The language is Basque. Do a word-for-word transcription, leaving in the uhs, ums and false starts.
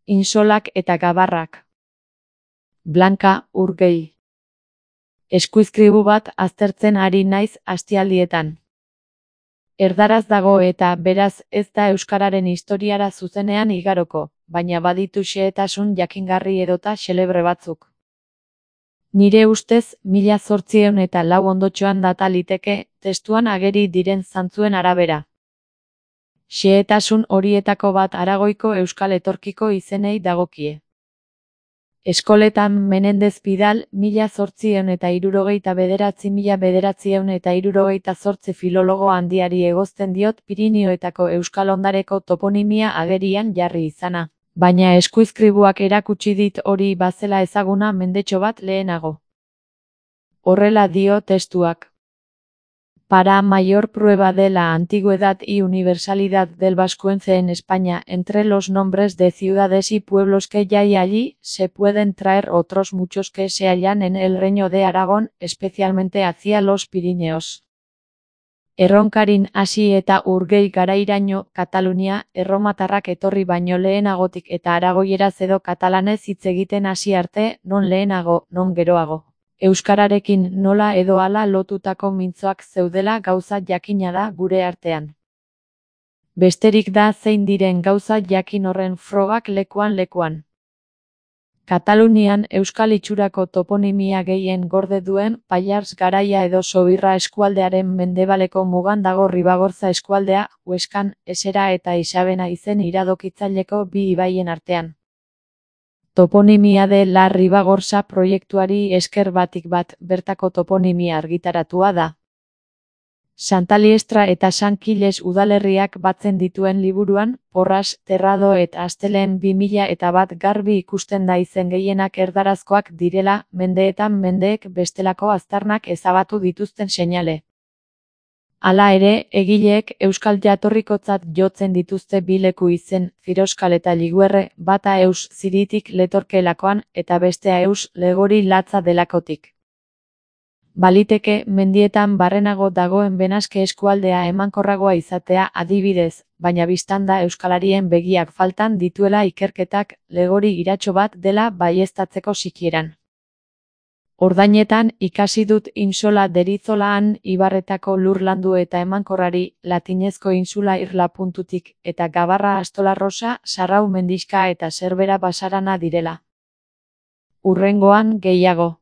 Insolak eta gabarrak. Blanka Urgell. Eskuizkribu bat aztertzen ari naiz astialdietan. Erdaraz dago eta beraz ez da euskararen historiara zuzenean igaroko, baina baditu xehetasun jakingarri edota xelebre batzuk. Nire ustez, mila zortziehun eta lau ondotxoan data liteke, testuan ageri diren zantzuen arabera. Xehetasun horietako bat Aragoiko euskal etorkiko izenei dagokie. Eskoletan Menendez Pidal, mila zortziehun eta hirurogeita bederatzi mila bederatziehun eta hirurogeita zortzi filologo handiari egozten diot Pirinioetako euskal ondareko toponimia agerian jarri izana, baina eskuizkribuak erakutsi dit hori bazela ezaguna mendetxo bat lehenago. Horrela dio testuak. Para mayor prueba de la antigüedad y universalidad del vascuence en España, entre los nombres de ciudades y pueblos que ya hay allí, se pueden traer otros muchos que se hallan en el Reino de Aragón, especialmente hacia los Pirineos. Erronkarin hasi eta Urgell garairaino, Katalunia, erromatarrak etorri baino lehenagotik eta aragoieraz edo katalanez hitz egiten hasi arte, non lehenago, non geroago. Euskararekin nola edo hala lotutako mintzoak zeudela gauza jakina da gure artean. Besterik da zein diren gauza jakin horren frogak lekuan lekuan. Katalunian euskal itxurako toponimia gehien gorde duen Pallars garaia edo Sobirra eskualdearen mendebaleko mugan dago Ribagorza eskualdea, Hueskan, Esera eta Isabena izen iradokitzaileko bi ibaien artean. Toponimia de la Ribagorza proiektuari esker batik bat bertako toponimia argitaratua da. Santaliestra eta San Kiles udalerriak batzen dituen liburuan, Porras, Terrado eta Asteleen bi mila eta bat garbi ikusten da izen gehienak erdarazkoak direla, mendeetan mendeek bestelako aztarnak ezabatu dituzten seinale. Hala ere, egileek euskal jatorrikotzat jotzen dituzte bi leku izen, Firoskal eta Liguerre, bata eus ziritik letorkeelakoan eta bestea eus legori latza delakotik. Baliteke, mendietan barrenago dagoen Benaske eskualdea emankorragoa izatea adibidez, baina biztanda euskalarien begiak faltan dituela ikerketak legori iratxo bat dela baieztatzeko sikieran. Ordainetan ikasi dut Insola deritzolaan ibarretako lur landu eta emankorrari, latinezko insula irla puntutik, eta Gabarra Astolarrosa, Sarrau mendixka eta Zerbera basarana direla. Hurrengoan gehiago.